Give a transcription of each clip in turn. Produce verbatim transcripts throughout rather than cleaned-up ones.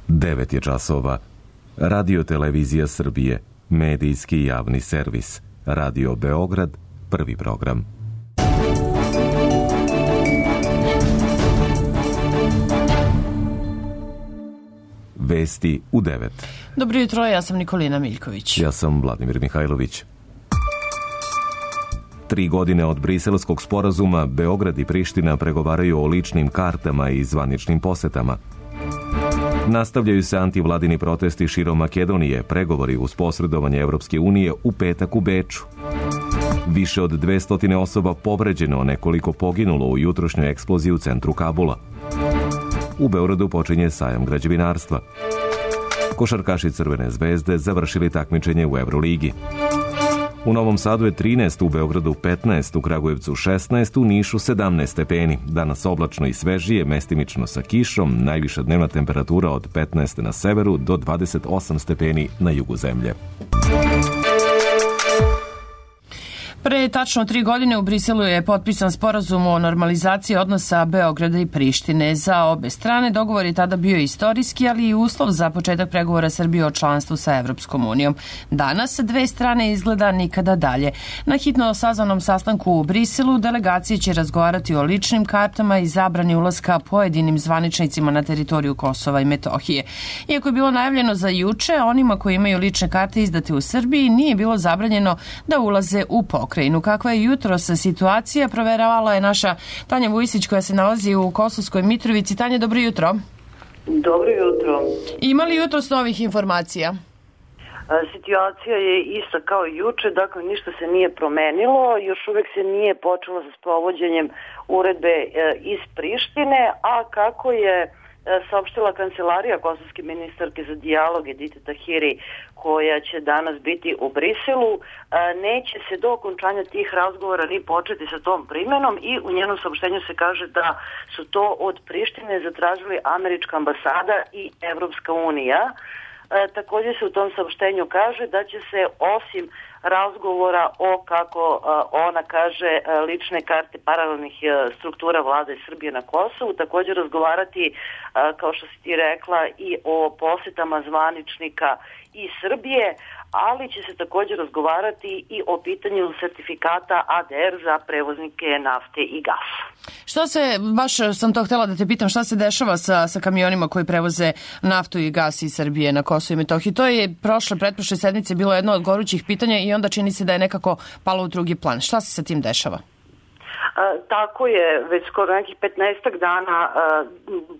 devet je časova. Radio Televizija Srbije, medijski javni servis. Radio Beograd, prvi program. Vesti u devet. Dobro jutro, ja sam Nikolina Miljković. Ja sam Vladimir Mihajlović. Tri godine od Briselskog sporazuma, Beograd i Priština pregovaraju o ličnim kartama i zvaničnim posetama. Nastavljaju se antivladini protesti širom Makedonije, pregovori uz posredovanje Evropske unije u petak u Beču. Više od dvesta osoba povređeno, nekoliko poginulo u jutrošnjoj eksploziji u centru Kabula. U Beogradu počinje sajam građevinarstva. Košarkaši Crvene zvezde završili takmičenje u Evroligi. U Novom Sadu je trinaest, u Beogradu petnaest, u Kragujevcu šesnaest, u Nišu sedamnaest stepeni. Danas oblačno i svežije, mestimično sa kišom, najviša dnevna temperatura od petnaest na severu do dvadeset osam stepeni na jugu zemlje. Pre tačno tri godine u Briselu je potpisan sporazum o normalizaciji odnosa Beograda i Prištine. Za obe strane dogovor je tada bio istorijski, ali i uslov za početak pregovora Srbije o članstvu sa Evropskom unijom. Danas dve strane izgleda nikada dalje. Na hitno sazvanom sastanku u Briselu delegacije će razgovarati o ličnim kartama i zabrani ulaska pojedinim zvaničnicima na teritoriju Kosova i Metohije. Iako je bilo najavljeno za juče, onima koji imaju lične karte izdate u Srbiji nije bilo zabranjeno da ulaze u pokrajinu. Kakva je jutros situacija, proveravala je naša Tanja Vujsić koja se nalazi u Kosovskoj Mitrovici. Tanja, dobro jutro. Dobro jutro. Ima li jutros novih informacija? Situacija je ista kao i juče, dakle ništa se nije promenilo, još uvek se nije počelo sa sprovođenjem uredbe iz Prištine, a kako je saopštila kancelarija kosovske ministarke za dijalog Edite Tahiri, koja će danas biti u Briselu, neće se do okončanja tih razgovora ni početi sa tom primenom i u njenom saopštenju se kaže da su to od Prištine zatražili američka ambasada i Evropska unija. E, također se u tom saopštenju kaže da će se osim razgovora o, kako a, ona kaže, a, lične karte paralelnih a, struktura vlade Srbije na Kosovu, također razgovarati, a, kao što si ti rekla, i o posetama zvaničnika iz Srbije, ali će se također razgovarati i o pitanju sertifikata A D R za prevoznike nafte i gasa. Što se, baš sam to htjela da te pitam, šta se dešava sa, sa kamionima koji prevoze naftu i gas iz Srbije na Kosovo i Metohiji? To je prošle, pretprošle sedmice bilo jedno od gorućih pitanja i onda čini se da je nekako palo u drugi plan. Šta se sa tim dešava? A, tako je, već skoro nekih petnaestak dana a,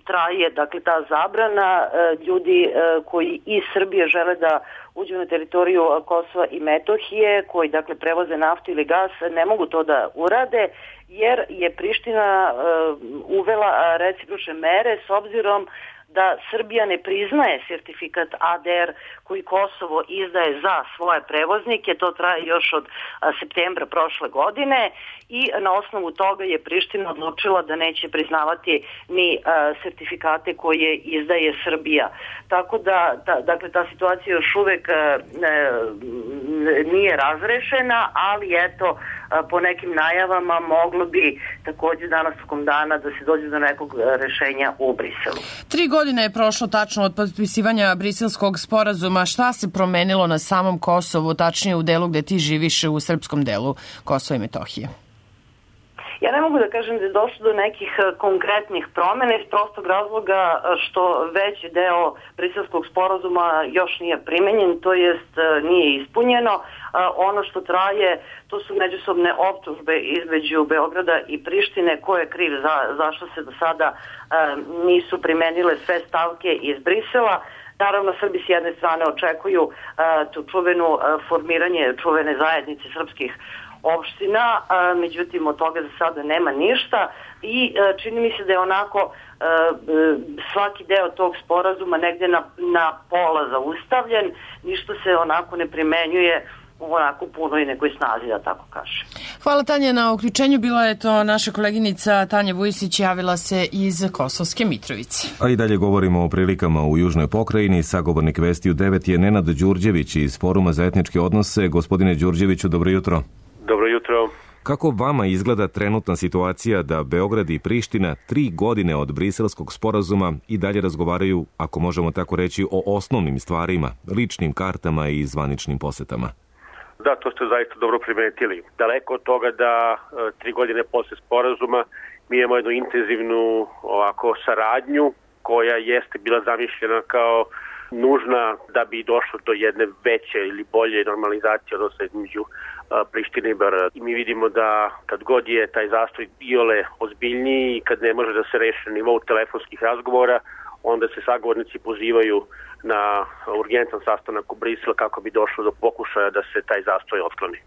traje dakle ta zabrana. A, ljudi a, koji iz Srbije žele da uđu na teritoriju Kosova i Metohije, koji dakle prevoze naftu ili gas, ne mogu to da urade, jer je Priština uh, uvela recipročne mere s obzirom da Srbija ne priznaje sertifikat A D R koji Kosovo izdaje za svoje prevoznike. To traje još od a, septembra prošle godine i na osnovu toga je Priština odlučila da neće priznavati ni a, sertifikate koje izdaje Srbija. Tako da, ta, dakle, ta situacija još uvek a, ne, nije razrešena, ali eto, a, po nekim najavama moglo bi također danas tokom dana da se dođe do nekog rešenja u Briselu. Tri godine je prošlo tačno od potpisivanja Briselskog sporazuma. Šta se promenilo na samom Kosovu, tačnije u delu gde ti živiš, u srpskom delu Kosova i Metohije? Ja ne mogu da kažem da je došlo do nekih konkretnih promjena iz prostog razloga što veći deo Briselskog sporazuma još nije primenjen, to jest nije ispunjeno. Ono što traje, to su međusobne optužbe između Beograda i Prištine, ko je kriv za, zašto se do sada nisu primenile sve stavke iz Brisela. Naravno, Srbi s jedne strane očekuju uh, tu čuvenu uh, formiranje čuvene zajednice srpskih opština, a, međutim od toga za sada nema ništa i a, čini mi se da je onako a, svaki deo tog sporazuma negdje na, na pola zaustavljen, ništa se onako ne primenjuje onako punoj nekoj snazi, da tako kaže. Hvala Tanja na uključenju. Bila je to naša koleginica Tanja Vujsić, javila se iz Kosovske Mitrovice. A i dalje govorimo o prilikama u južnoj pokrajini. Sagovornik Vesti u devet je Nenad Đurđević iz Foruma za etničke odnose. Gospodine Đurđeviću, dobro jutro. Dobro jutro. Kako vama izgleda trenutna situacija da Beograd i Priština tri godine od Briselskog sporazuma i dalje razgovaraju, ako možemo tako reći, o osnovnim stvarima, ličnim kartama i zvaničnim posetama? Da, to ste zaista dobro primetili. Daleko od toga da e, tri godine posle sporazuma mi imamo jednu intenzivnu ovako saradnju koja jeste bila zamišljena kao nužna da bi došlo do jedne veće ili bolje normalizacije odnosa između Prištine i Beograda. I mi vidimo da kad god je taj zastoj iole ozbiljniji i kad ne može da se reši na nivou telefonskih razgovora, onda se sagovornici pozivaju na urgentan sastanak u Briselu kako bi došlo do pokušaja da se taj zastoj otkloni.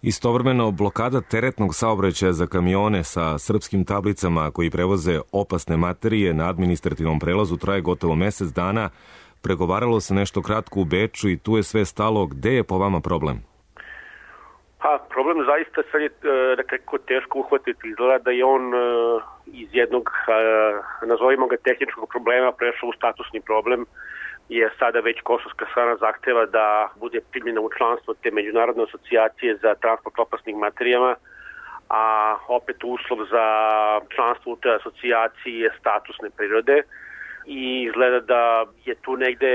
Istovremeno, blokada teretnog saobraćaja za kamione sa srpskim tablicama koji prevoze opasne materije na administrativnom prelazu traje gotovo mesec dana. Pregovaralo se nešto kratko u Beču i tu je sve stalo. Gde je po vama problem? Pa, problem zaista sad je nekako teško uhvatiti. Izgleda da je on iz jednog, nazovimo ga tehničkog problema, prešao u statusni problem, jer sada već kosovska strana zahteva da bude primljena u članstvo te međunarodne asocijacije za transport opasnih materijama, a opet uslov za članstvo u toj asocijaciji je statusne prirode i izgleda da je tu negde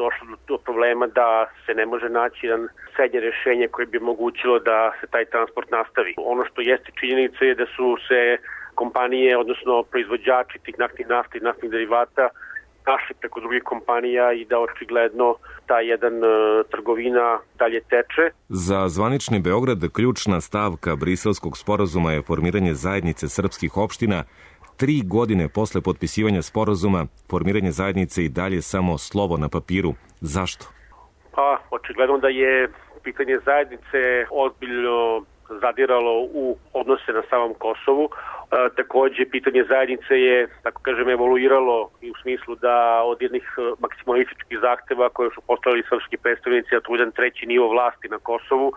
došlo do problema da se ne može naći jedan srednje rešenje koje bi omogućilo da se taj transport nastavi. Ono što jeste činjenica je da su se kompanije, odnosno proizvođači tih naftnih nafti i naftnih derivata našli preko drugih kompanija i da očigledno ta jedan uh, trgovina dalje teče. Za zvanični Beograd ključna stavka Briselskog sporazuma je formiranje zajednice srpskih opština. Tri godine posle potpisivanja sporazuma, formiranje zajednice i dalje samo slovo na papiru. Zašto? Pa, očigledno da je pitanje zajednice ozbiljno zadiralo u odnose na samom Kosovu. E, takođe, pitanje zajednice je, tako kažem, evoluiralo i u smislu da od jednih maksimalističkih zahteva koje su postavili srpski predstavnici, a to jedan treći nivo vlasti na Kosovu,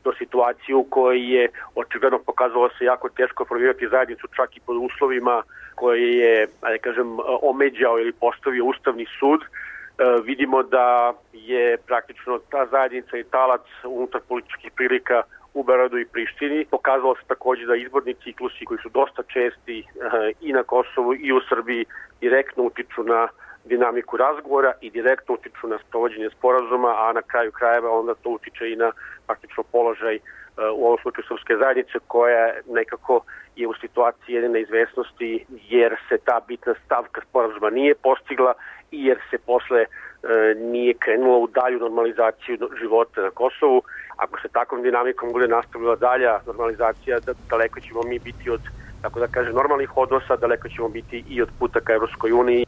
do situaciju koji je očigledno pokazalo se jako teško formirati zajednicu čak i pod uslovima koje je, da kažem, omeđao ili postavio Ustavni sud. E, vidimo da je praktično ta zajednica i talac unutar političkih prilika u Beogradu i Prištini. Pokazalo se takođe da izborni ciklusi koji su dosta česti i na Kosovu i u Srbiji direktno utiču na dinamiku razgovora i direktno utiču na sprovođenje sporazuma, a na kraju krajeva onda to utiče i na praktično položaj u ovom slučaju srpske zajednice koja nekako je u situaciji jedne neizvesnosti jer se ta bitna stavka sporazuma nije postigla i jer se posle e, nije krenulo u dalju normalizaciju života na Kosovu. Ako se takvom dinamikom bude nastavila dalja normalizacija, da, daleko ćemo mi biti od, tako da kaže, normalnih odnosa, daleko ćemo biti i od puta ka Evropskoj uniji.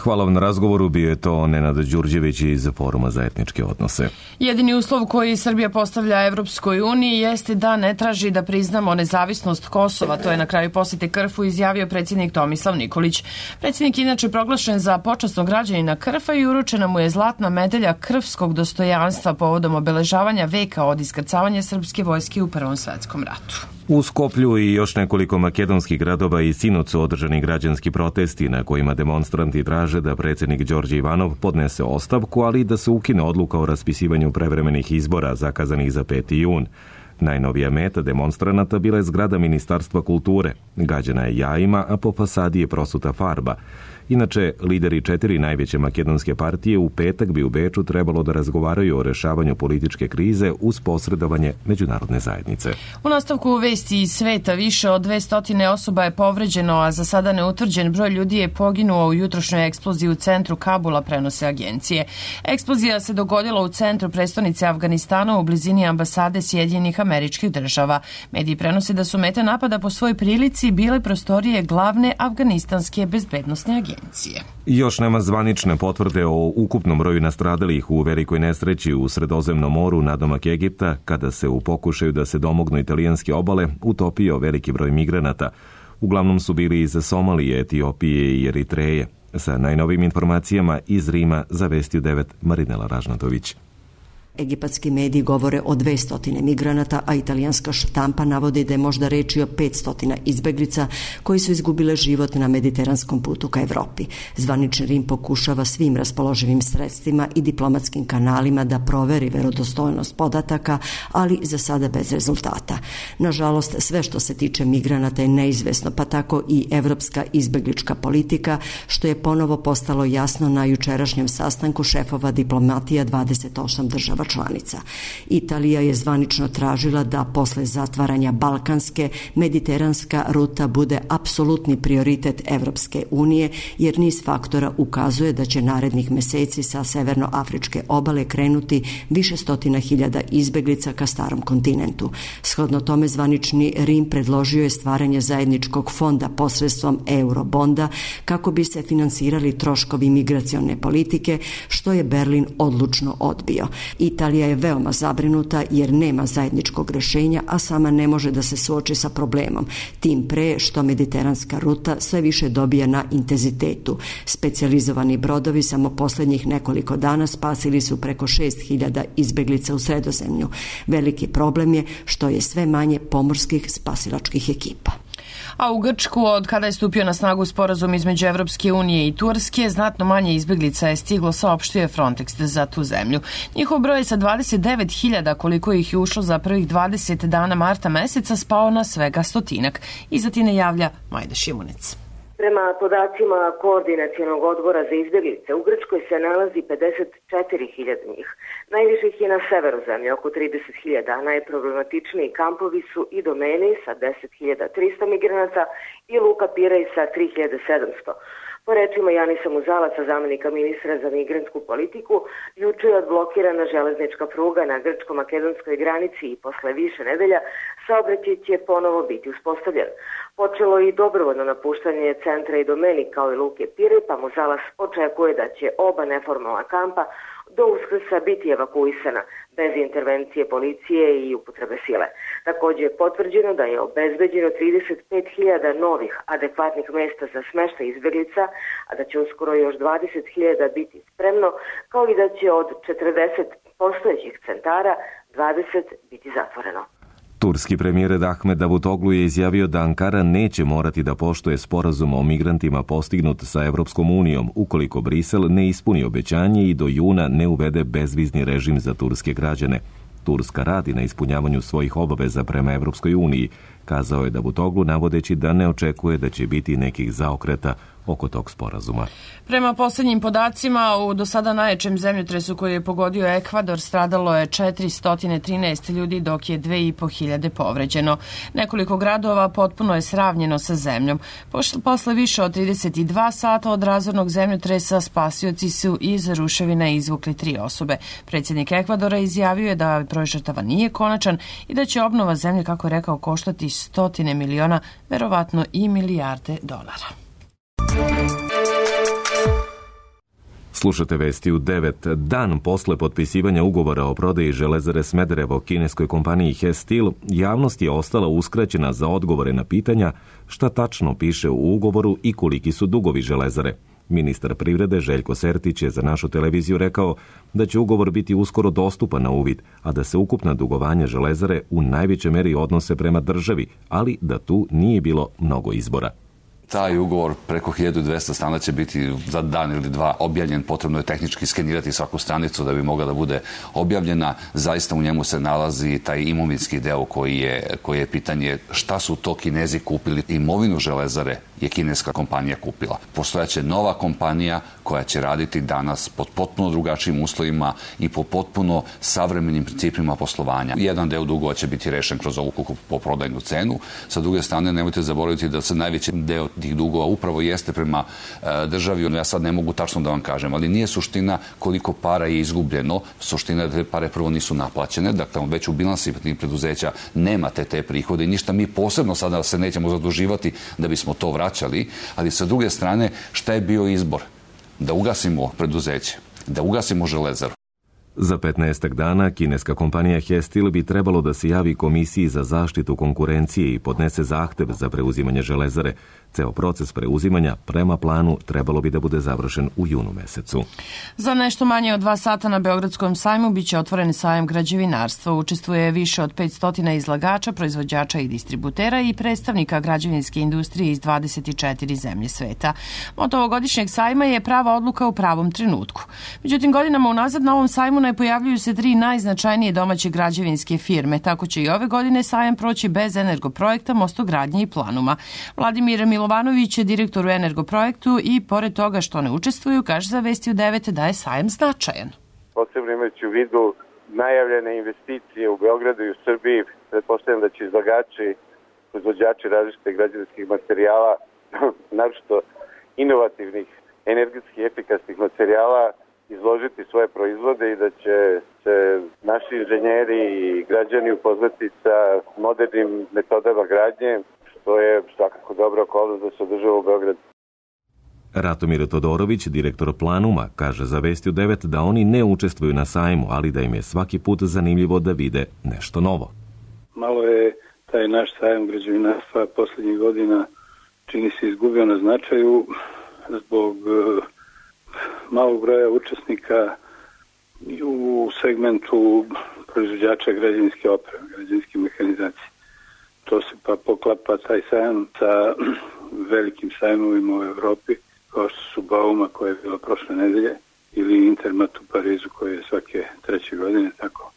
Hvala vam na razgovoru, bio je to Nenad Đurđević iz Foruma za etničke odnose. Jedini uslov koji Srbija postavlja Evropskoj uniji jeste da ne traži da priznamo nezavisnost Kosova. To je na kraju posete Krfu izjavio predsjednik Tomislav Nikolić. Predsjednik inače proglašen za počasnog građanina Krfa i uručena mu je zlatna medalja krvskog dostojanstva povodom obeležavanja veka od iskrcavanja srpske vojske u Prvom svetskom ratu. U Skoplju i još nekoliko makedonskih gradova i sinoć su održani građanski protesti na kojima demonstranti traže da predsjednik Đorđe Ivanov podnese ostavku, ali i da se ukine odluka o raspisivanju prevremenih izbora zakazanih za peti jun. Najnovija meta demonstranata bila je zgrada Ministarstva kulture. Gađana je jajima, a po fasadi je prosuta farba. Inače, lideri četiri najveće makedonske partije u petak bi u Beču trebalo da razgovaraju o rešavanju političke krize uz posredovanje međunarodne zajednice. U nastavku vesti iz sveta više od dvesta osoba je povređeno, a za sada neutvrđen broj ljudi je poginuo u jutrošnjoj eksploziji u centru Kabula, prenose agencije. Eksplozija se dogodila u centru prestonice Afganistana u blizini ambasade Sjedinjenih Američkih Država. Mediji prenose da su mete napada po svoj prilici bile prostorije glavne afganistanske bezbednosne agencije. Još nema zvanične potvrde o ukupnom broju nastradalih u velikoj nesreći u Sredozemnom moru nadomak Egipta, kada se u pokušaju da se domognu italijanske obale utopio veliki broj migranata. Uglavnom su bili iz Somalije, Etiopije i Eritreje. Sa najnovim informacijama iz Rima za Vesti u devet Marinela Ražnatović. Egipatski mediji govore o dvesta migranata, a italijanska štampa navodi da je možda reč o petsto izbeglica koji su izgubile život na mediteranskom putu ka Evropi. Zvanični Rim pokušava svim raspoloživim sredstvima i diplomatskim kanalima da proveri verodostojnost podataka, ali za sada bez rezultata. Nažalost, sve što se tiče migranata je neizvesno, pa tako i evropska izbeglička politika, što je ponovo postalo jasno na jučerašnjem sastanku šefova diplomatija dvadeset osam država članica. Italija je zvanično tražila da posle zatvaranja balkanske, mediteranska ruta bude apsolutni prioritet Evropske unije, jer niz faktora ukazuje da će narednih meseci sa severnoafričke obale krenuti više stotina hiljada izbeglica ka starom kontinentu. Shodno tome, zvanični Rim predložio je stvaranje zajedničkog fonda posredstvom eurobonda kako bi se finansirali troškovi migracione politike, što je Berlin odlučno odbio. Italija je veoma zabrinuta jer nema zajedničkog rešenja, a sama ne može da se suoči sa problemom. Tim pre što mediteranska ruta sve više dobija na intenzitetu. Specijalizovani brodovi samo poslednjih nekoliko dana spasili su preko šest hiljada izbeglica u Sredozemlju. Veliki problem je što je sve manje pomorskih spasilačkih ekipa. A u Grčku, od kada je stupio na snagu sporazum između Evropske unije i Turske, znatno manje izbeglica je stiglo, saopštio Frontex za tu zemlju. Njihov broj je sa dvadeset devet hiljada, koliko ih je ušlo za prvih dvadeset dana marta meseca, spao na svega stotinak. Iza Tine javlja Majda Šimunec. Prema podacima Koordinacionog odbora za izbjeglice, u Grčkoj se nalazi pedeset četiri hiljade njih. Najviše ih je na severu zemlje, oko trideset hiljada, a najproblematičniji kampovi su i Domeni sa deset hiljada trista migranata i Luka Pirej sa tri hiljade sedamsto. Po rečima Janisa Muzalaca, zamenika ministra za migrantsku politiku, juče je odblokirana železnička pruga na grčko-makedonskoj granici i posle više nedelja saobraćaj će ponovo biti uspostavljen. Počelo i dobrovoljno napuštanje centra i Domeni kao i Luke Pirej, pa Muzalac očekuje da će oba neformalna kampa do Uskrsa biti evakuisana bez intervencije policije i upotrebe sile. Također je potvrđeno da je obezbeđeno trideset pet hiljada novih adekvatnih mesta za smeštaj izbjeglica, a da će uskoro još dvadeset hiljada biti spremno, kao i da će od četrdeset postojećih centara dvadeset biti zatvoreno. Turski premijer Ahmed Davutoglu je izjavio da Ankara neće morati da poštuje sporazum o migrantima postignut sa Evropskom unijom ukoliko Brisel ne ispuni obećanje i do juna ne uvede bezvizni režim za turske građane. Turska radi na ispunjavanju svojih obaveza prema Evropskoj uniji, kazao je Davutoglu, navodeći da ne očekuje da će biti nekih zaokreta oko tog sporazuma. Prema posljednjim podacima, u do sada najjačem zemljotresu koji je pogodio Ekvador stradalo je četiristo trinaest ljudi, dok je dve i po hiljade povređeno. Nekoliko gradova potpuno je sravnjeno sa zemljom. Posle više od trideset dva sata od razornog zemljotresa spasioci su iz ruševina izvukli tri osobe. Predsjednik Ekvadora izjavio je da broj žrtava nije konačan i da će obnova zemlje, kako je rekao, koštati stotine miliona, verovatno i milijarde dolara. Slušate vesti u devet. Dan posle potpisivanja ugovora o prodaji Železare Smederevo kineskoj kompaniji Hess Steel, javnost je ostala uskraćena za odgovore na pitanja šta tačno piše u ugovoru i koliki su dugovi Železare. Ministar privrede Željko Sertić je za našu televiziju rekao da će ugovor biti uskoro dostupan na uvid, a da se ukupna dugovanja Železare u najvećoj meri odnose prema državi, ali da tu nije bilo mnogo izbora. Taj ugovor preko hiljadu dvesta strana će biti za dan ili dva objavljen. Potrebno je tehnički skenirati svaku stranicu da bi mogla da bude objavljena. Zaista u njemu se nalazi taj imovinski deo koji je, koji je pitanje šta su to Kinezi kupili. Imovinu Železare je kineska kompanija kupila. Postojaće nova kompanija koja će raditi danas pod potpuno drugačijim uslovima i po potpuno savremenim principima poslovanja. Jedan deo dugova će biti rešen kroz ovu kupoprodajnu cenu. Sa druge strane, nemojte zaboraviti da se najveći deo tih dugova upravo jeste prema e, državi. Ja sad ne mogu tačno da vam kažem, ali nije suština koliko para je izgubljeno. Suština je da te pare prvo nisu naplaćene. Dakle, već u bilansi tih preduzeća nemate te prihode i ništa mi posebno sada se nećemo zaduživati da bismo to vraćali. Ali sa druge strane, šta je bio izbor? Da ugasimo preduzeće, da ugasimo Železaru. Za petnaestak dana kineska kompanija Hestil bi trebalo da se javi Komisiji za zaštitu konkurencije i podnese zahtev za preuzimanje železare. Ceo proces preuzimanja prema planu trebalo bi da bude završen u junu mesecu. Za nešto manje od dva sata na Beogradskom sajmu biće otvoren sajam građevinarstva. Učestvuje više od petsto izlagača, proizvođača i distributera i predstavnika građevinske industrije iz dvadeset četiri zemlje sveta. Moto ovogodišnjeg sajma je prava odluka u pravom trenutku. Međutim, godinama unazad na ovom sajmu ne pojavljuju se tri najznačajnije domaće građevinske firme. Tako će i ove godine sajam proći bez Energoprojekta, Mostogradnje i Planuma. Vladimir Milovanović je direktor u Energoprojektu i pored toga što ne učestvuju, kaže za Vesti u devet da je sajam značajan. Posebno imajući u vidu najavljene investicije u Beogradu i u Srbiji, pretpostavljam da će izlagači, proizvođači različitih građevinskih materijala, naročito inovativnih, energetski efikasnih materijala, izložiti svoje proizvode i da će se naši inženjeri i građani upoznati sa modernim metodama gradnje, što je svakako dobra okolnost da se održava u Beogradu. Ratomir Todorović, direktor Planuma, kaže za Vesti u devet da oni ne učestvuju na sajmu, ali da im je svaki put zanimljivo da vide nešto novo. Malo je taj naš sajam građevinarstva poslednjih godina čini se izgubio na značaju zbog malog broja učesnika u segmentu proizvođača građevinske opreme, građevinske mehanizacije. To se pa poklapa taj sajam sa velikim sajmovima u Evropi, kao što su Bauma koja je bila prošle nedelje ili Intermat u Parizu koji je svake treće godine, tako.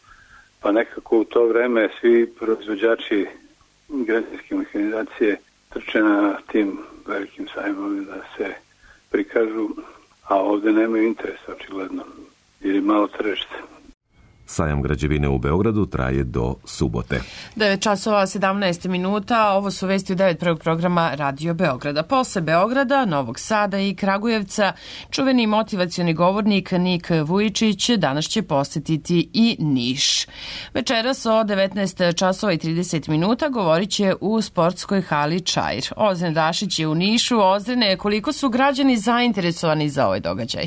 Pa nekako u to vreme svi proizvođači građevinske mehanizacije trče na tim velikim sajmovima da se prikažu, a ovde nemaju interesa očigledno, jer je malo tržište. Sajam građevine u Beogradu traje do subote. devet časova sedamnaest minuta, ovo su Vesti u devet prvog programa Radio Beograda. Posle Beograda, Novog Sada i Kragujevca, čuveni motivacioni govornik Nik Vujičić danas će posetiti i Niš. Večeras o devetnaest časova i trideset minuta govorit će u sportskoj hali Čair. Ozren Dašić je u Nišu. Ozrene, koliko su građani zainteresovani za ovaj događaj?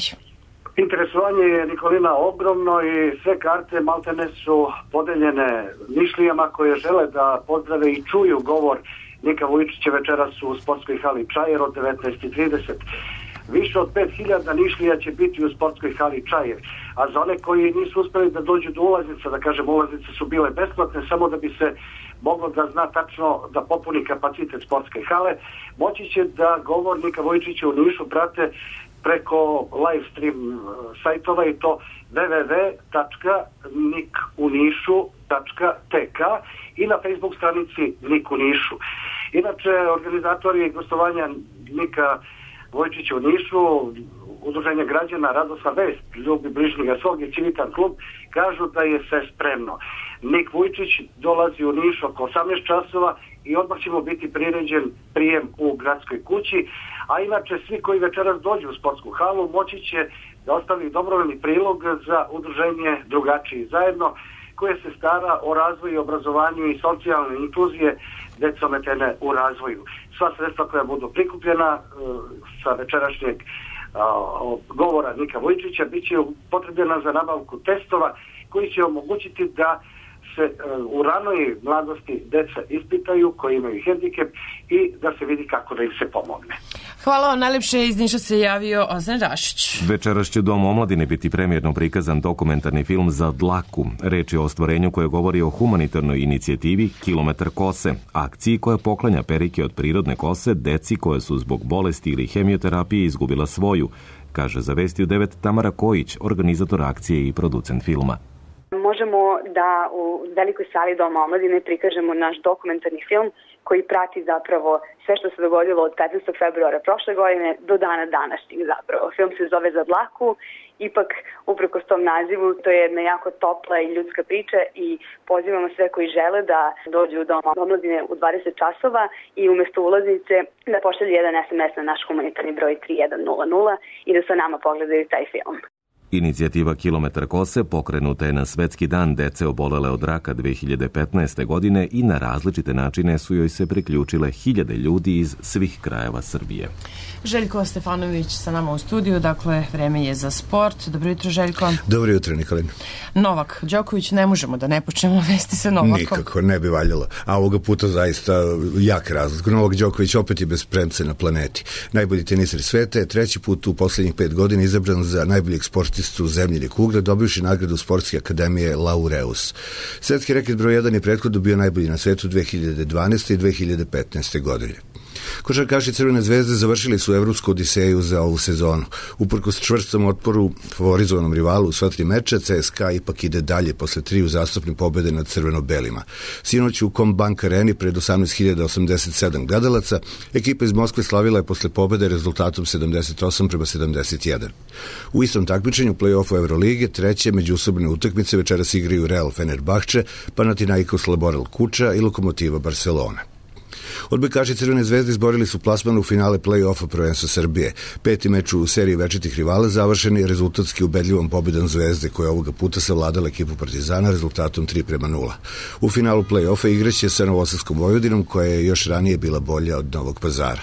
Interesovanje je, Nikolina, ogromno i sve karte maltene su podeljene Nišlijama koje žele da pozdrave i čuju govor Nika Vujičića večeras u sportskoj hali Čair od devetnaest i trideset. Više od pet hiljada Nišlija će biti u sportskoj hali Čair, a za one koji nisu uspeli da dođu do ulaznica, da kažem, ulaznice su bile besplatne, samo da bi se moglo da zna tačno da popuni kapacitet sportske hale, moći će da govor Nika Vujičića u Nišu prate preko live stream sajtova i to w w w tačka nik u nišu tačka t k i na Facebook stranici Nik u Nišu. Inače, organizatori gostovanja Nika Vujičića u Nišu, Udruženje građana Radosna vest, Ljubi bližnjega svog i Civitan klub, kažu da je sve spremno. Nik Vujičić dolazi u Niš oko osamnaest časova i odmah ćemo biti priređen prijem u gradskoj kući, a inače svi koji večeras dođu u sportsku halu moći će da ostavi dobrovoljni prilog za udruženje Drugačiji zajedno, koje se stara o razvoju, obrazovanju i socijalne inkluzije dece ometene u razvoju. Sva sredstva koja budu prikupljena sa večerašnjeg govora Nika Vujičića bit će potrebna za nabavku testova koji će omogućiti da se u ranoj mladosti deca ispitaju koji imaju hendikep i da se vidi kako da im se pomogne. Hvala vam najlepše, iz Niša se javio Ozren Dašić. Večeras će u Domu omladine biti premijerno prikazan dokumentarni film Za dlaku. Reč je o ostvarenju koje govori o humanitarnoj inicijativi Kilometar kose, akciji koja poklanja perike od prirodne kose deci koje su zbog bolesti ili hemioterapije izgubila svoju, kaže za Vesti u devet Tamara Kojić, organizator akcije i producent filma. Možemo da u velikoj sali Doma omladine prikažemo naš dokumentarni film koji prati zapravo sve što se dogodilo od petnaestog februara prošle godine do dana današnjeg zapravo. Film se zove Za dlaku, ipak uprkos tom nazivu to je jedna jako topla i ljudska priča i pozivamo sve koji žele da dođu u Dom omladine u dvadeset časova i umesto ulaznice da pošalju jedan es em es na naš humanitarni broj tri jedan nula nula i da sa nama pogledaju taj film. Inicijativa Kilometar kose pokrenuta je na Svetski dan dece obolele od raka dve hiljade petnaeste. godine i na različite načine su joj se priključile hiljade ljudi iz svih krajeva Srbije. Željko Stefanović sa nama u studiju, dakle vreme je za sport. Dobro jutro, Željko. Dobro jutro, Nikolina. Novak Đoković, ne možemo da ne počnemo vesti sa Novakom. Nikako, ne bi valjalo. A ovoga puta zaista jak razlik. Novak Đoković opet je bez premce na planeti. Najbolji teniser sveta je treći put u poslednjih pet godina izabran za najboljeg sportistu zemljine kugle, dobivši nagradu Sportske akademije Laureus. Svetski reket broj jedan je prethodno bio najbolji na svetu dve hiljade dvanaeste. i dve hiljade petnaeste. godine. Košarkaši Crvene zvezde završili su evropsku odiseju za ovu sezonu. Uprkos čvrstom otporu favorizovanom rivalu u sva tri meča, C S K A ipak ide dalje posle tri uzastopne pobede nad crveno-belima. Sinoć u Combank areni pred osamnaest hiljada osamdeset sedam gledalaca, ekipa iz Moskve slavila je posle pobede rezultatom sedamdeset osam prema sedamdeset jedan. U istom takmičenju play-offu Evrolige treće međusobne utakmice večeras igraju Real Fenerbahče, Panathinaikos Laboral Kuča i Lokomotiva Barcelona. Odbojkaši Crvene zvezde izborili su plasman u finale play-offa prvenstva Srbije. Peti meč u seriji večitih rivala završen je rezultatski ubedljivom pobedom Zvezde, koja ovoga puta savladala ekipu Partizana rezultatom tri prema nula. U finalu play-offa igraće sa Novosadskom Vojvodinom, koja je još ranije bila bolja od Novog Pazara.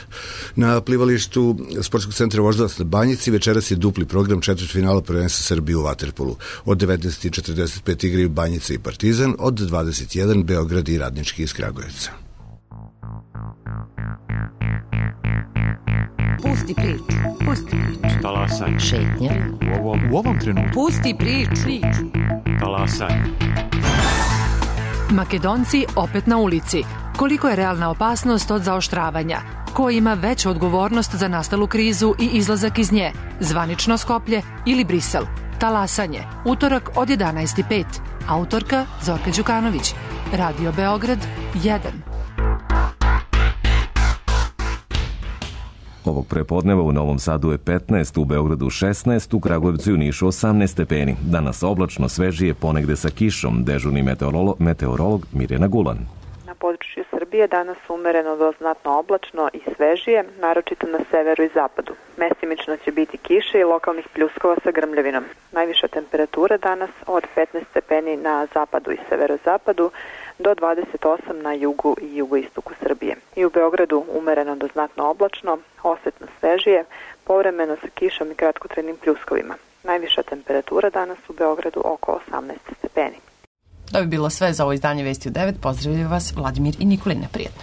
Na plivalištu Sportskog centra Voždovac na Banjici večeras je dupli program četvrtfinala prvenstva Srbije u vaterpolu. Od devetnaest i četrdeset pet igraju Banjica i Partizan, od dvadeset jedan Beograd i Radnički iz Kragujevca. Pusti priču. Pusti priču. Talasaj. Šetnja. U ovom, u ovom trenutku. Pusti priču. priču. Talasaj. Makedonci opet na ulici. Koliko je realna opasnost od zaoštravanja? Ko ima veću odgovornost za nastalu krizu i izlazak iz nje? Zvanično Skoplje ili Brisel? Talasanje. Utorak od jedanaest i pet. Autorka Zorka Đukanović. Radio Beograd jedan. Ovog prepodneva u Novom Sadu je petnaest, u Beogradu šesnaest, u Kragujevcu i Nišu osamnaest stepeni. Danas oblačno, svežije, ponegde sa kišom. Dežurni meteorolog, meteorolog Mirjana Gulan. Na području Srbije danas umereno do znatno oblačno i svežije, naročito na severu i zapadu. Mesimično će biti kiše i lokalnih pljuskova sa grmljavinom. Najviša temperatura danas od petnaest stepeni na zapadu i severozapadu do dvadeset osam na jugu i jugoistoku Srbije. I u Beogradu umereno do znatno oblačno, osetno svežije, povremeno sa kišom i kratkotrajnim pljuskovima. Najviša temperatura danas u Beogradu oko osamnaest stepeni. To bi bilo sve za ovo izdanje Vesti u devet. Pozdravljaju vas Vladimir i Nikolina. Prijetno.